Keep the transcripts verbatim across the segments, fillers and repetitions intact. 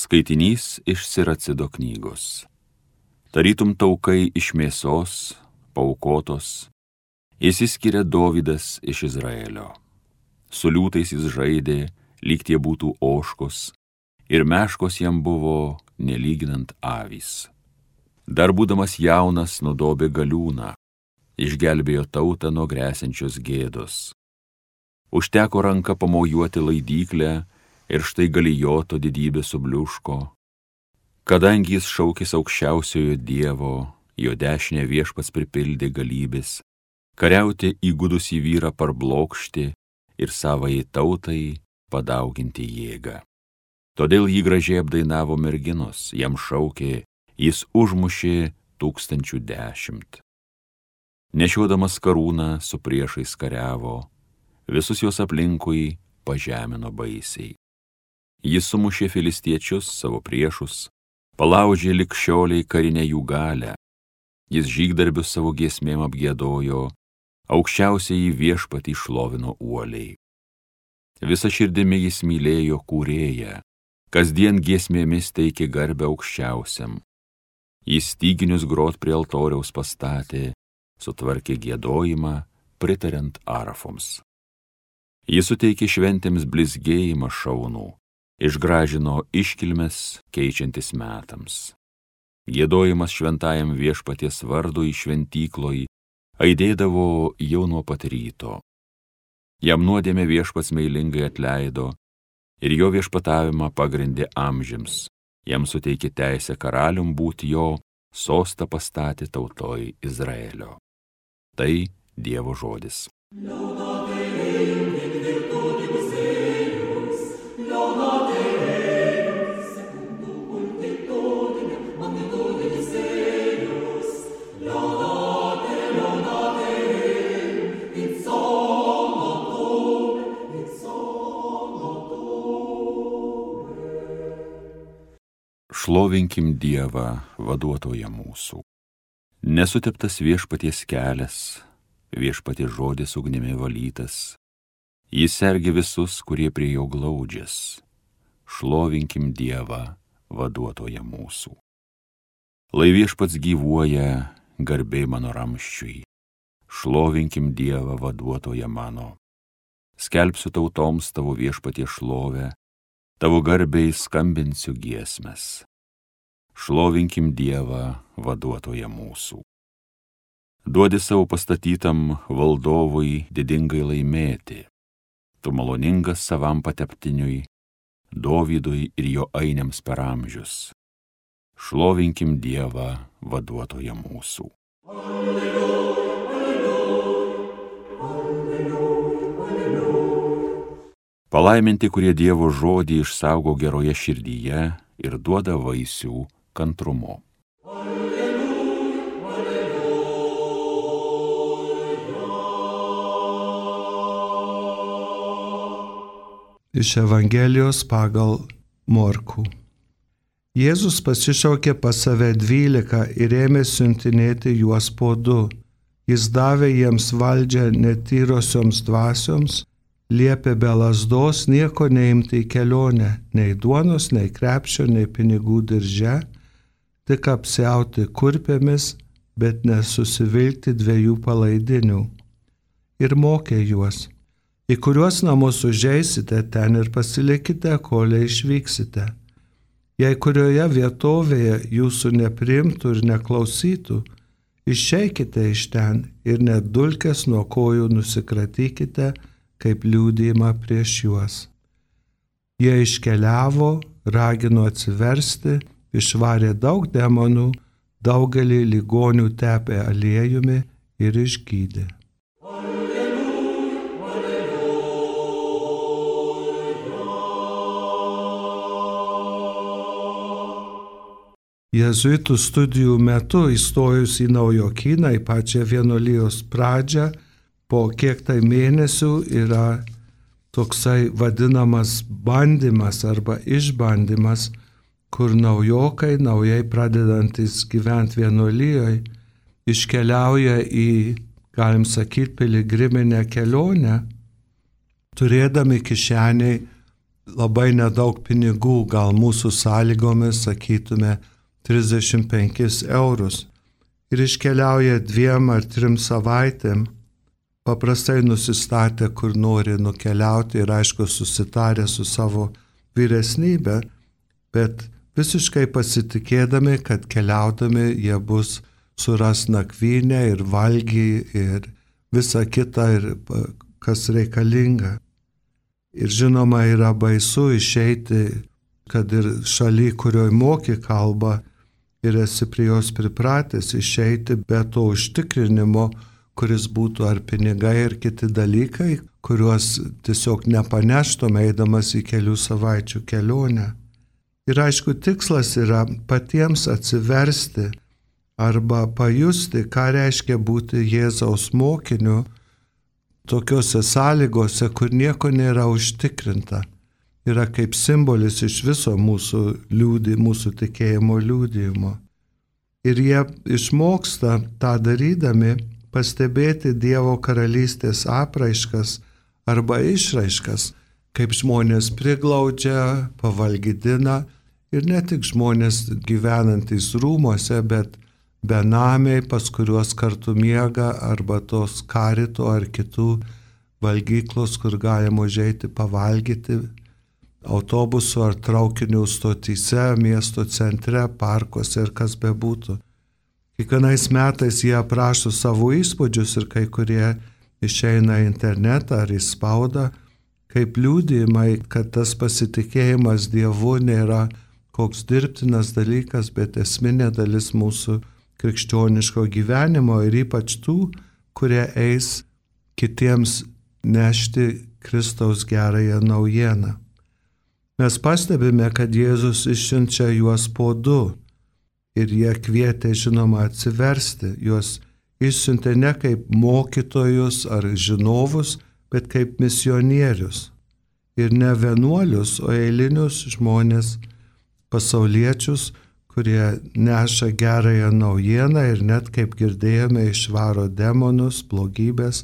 Skaitinys iš Siracido knygos. Tarytum taukai iš mėsos, paaukotos, išsiskiria Dovydas iš Izraelio. Su liūtais jis žaidė, lyg tie būtų ožkos, ir meškos jam buvo nelyginant avys. Dar būdamas jaunas nudobė galiūną, išgelbėjo tautą nuo gresiančios gėdos. Užteko ranka pamojuoti laidyklę, ir štai Galijoto didybė subliuško. Kadangi jis šaukės aukščiausiojo Dievo, jo dešinę viešpats pripildė galybės, kariauti įgudusį vyrą parblokšti ir savai tautai padauginti jėgą. Todėl jį gražiai apdainavo merginos, jam šaukė, jis užmušė tūkstančių dešimt. Nešiodamas karūną su priešais kariavo, visus jos aplinkui pažemino baisiai. Jis sumušė filistiečius, savo priešus, palaužė likščioliai karinę jų galę. Jis žygdarbius savo giesmėm apgiedojo, aukščiausiai viešpatį šlovino uoliai. Visa širdimi jis mylėjo kūrėją, kasdien giesmėmis teikė garbę aukščiausiam. Jis styginius grot prie altoriaus pastatė, sutvarkė giedojimą, pritariant arafoms. Jis suteikė šventėms blizgėjimą šaunų, išgražino iškilmes keičiantis metams. Giedojimas šventajam viešpaties vardui šventykloj aidėdavo jau nuo pat ryto. Jam nuodėmę viešpats meilingai atleido ir jo viešpatavimą pagrindė amžiams. Jam suteikė teisę karalium būti jo, sostą pastatė tautoj Izraelio. Tai Dievo žodis. Šlovinkim Dievą, vaduotoją mūsų. Nesuteptas viešpaties kelias, viešpaties žodis ugnimi valytas. Jis sergi visus, kurie prie jo glaudžias. Šlovinkim Dievą, vaduotoją mūsų. Lai viešpats gyvuoja, garbė mano ramščiui. Šlovinkim Dievą, vaduotoją mano. Skelbsiu tautoms tavo viešpaties šlovę, tavo garbei skambinsiu giesmes. Šlovinkim Dievą, vaduotoją mūsų. Duodi savo pastatytam valdovui didingai laimėti. Tu maloningas savam pateptiniui, Dovydui ir jo ainiams per amžius. Šlovinkim Dievą, vaduotoją mūsų. Alleluja, alleluja, alleluja, alleluja. Palaiminti, kurie Dievo žodį išsaugo geroje širdyje ir duoda vaisių kantrumo. Alleluja, alleluja. Iš Evangelijos pagal Morkų. Jėzus pasišaukė pas save dvylika ir ėmė siuntinėti juos po du. Jis davė jiems valdžią netyrosioms dvasioms, liepė be lazdos nieko neimti į kelionę, nei duonos, nei krepšio, nei pinigų dirže, tik apsiauti kurpėmis, bet nesusivilkti dviejų palaidinių. Ir mokė juos, į kuriuos namus užeisite, ten ir pasilikite, kol išvyksite. Jei kurioje vietovėje jūsų nepriimtų ir neklausytų, išeikite iš ten ir net dulkes nuo kojų nusikratykite, kaip liudijimą prieš juos. Jie iškeliavo, ragino atsiversti, išvarė daug demonų, daugelį ligonių tepė aliejumi ir išgydė. Alleluja, alleluja. Jėzuitų studijų metu įstojus į Naujokyną, į pačią vienuolijos pradžią, po kiek tai mėnesių yra toksai vadinamas bandymas arba išbandymas, kur naujokai, naujai pradedantis gyventi vienuolijoje, iškeliauja į, galim sakyti, piligriminę kelionę, turėdami kišeniai labai nedaug pinigų, gal mūsų sąlygomis, sakytume, trisdešimt penkis eurus. Ir iškeliauja dviem ar trim savaitėm, paprastai nusistatę, kur nori nukeliauti ir aišku susitarę su savo vyresnybė, bet visiškai pasitikėdami, kad keliaudami jie bus suras nakvynę ir valgį ir visa kita, ir kas reikalinga. Ir žinoma, yra baisu išeiti, kad ir šaly, kurioj moki kalbą ir esi prie jos pripratęs, išeiti be to užtikrinimo, kuris būtų ar pinigai, ar kiti dalykai, kuriuos tiesiog nepaneštum eidamas į kelių savaičių kelionę. Ir aišku, tikslas yra patiems atsiversti arba pajusti, ką reiškia būti Jėzaus mokiniu tokiuose sąlygose, kur nieko nėra užtikrinta. Yra kaip simbolis iš viso mūsų liūdį, mūsų tikėjimo liūdėjimo. Ir jie išmoksta tą darydami pastebėti Dievo karalystės apraiškas arba išraiškas, kaip žmonės priglaudžia, pavalgydina ir ne tik žmonės gyvenantys rūmuose, bet benamiai, pas kuriuos kartu miega, arba tos karito ar kitų valgyklos, kur galima užeiti pavalgyti, autobusų ar traukinių stotyse, miesto centre, parkuose ir kas bebūtų. Kiekvienais metais jie aprašo savo įspūdžius ir kai kurie išeina į internetą ar į spaudą, kaip liudijimai, kad tas pasitikėjimas Dievu nėra koks dirbtinas dalykas, bet esminė dalis mūsų krikščioniško gyvenimo ir ypač tų, kurie eis kitiems nešti Kristaus gerąją naujieną. Mes pastebime, kad Jėzus išsiunčia juos po du ir jie kvietė, žinoma, atsiversti. Juos išsiuntė ne kaip mokytojus ar žinovus, bet kaip misionierius. Ir ne vienuolius, o eilinius žmonės, pasauliečius, kurie neša gerąją naujieną ir net, kaip girdėjome, išvaro demonus, blogybės,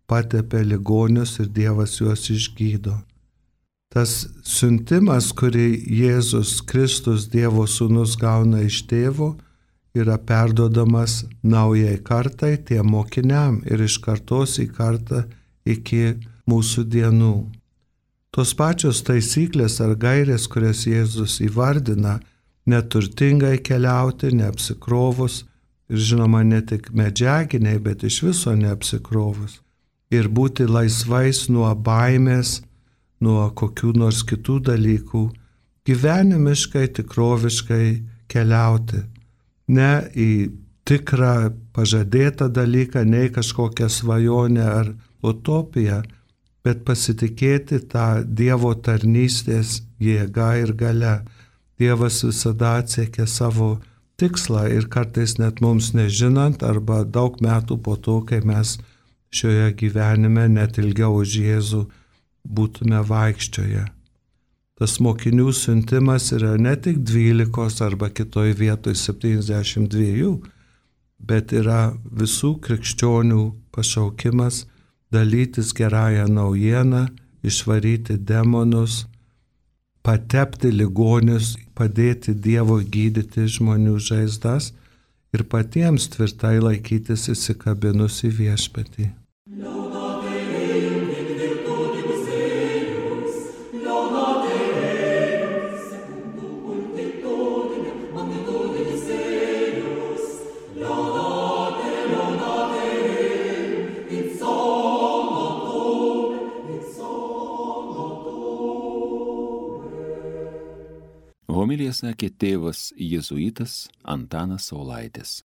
patepė ligonius ir Dievas juos išgydo. Tas siuntimas, kurį Jėzus Kristus, Dievo sūnus, gauna iš tėvo, yra perduodamas naujai kartai, tiem mokiniam ir iš kartos į kartą iki mūsų dienų. Tos pačios taisyklės ar gairės, kurias Jėzus įvardina, neturtingai keliauti, neapsikrovus ir žinoma ne tik medžiaginiai, bet iš viso neapsikrovus. Ir būti laisvais nuo baimės, nuo kokių nors kitų dalykų, gyvenimiškai, tikroviškai keliauti. Ne į tikrą pažadėtą dalyką, ne į kažkokią svajonę ar utopiją, bet pasitikėti tą Dievo tarnystės jėgą ir gale. Dievas visada atsiekia savo tikslą ir kartais net mums nežinant arba daug metų po to, kai mes šioje gyvenime net ilgiau už Jėzų būtume vaikščioje. Tas mokinių siuntimas yra ne tik dvylikos arba kitoj vietoj septyniasdešimt dviejų, bet yra visų krikščionių pašaukimas dalytis gerąją naujieną, išvaryti demonus, patepti ligonius, padėti Dievo gydyti žmonių žaizdas ir patiems tvirtai laikytis įsikabinus į viešpatį. Homiliją sakė tėvas jėzuitas Antanas Saulaitis.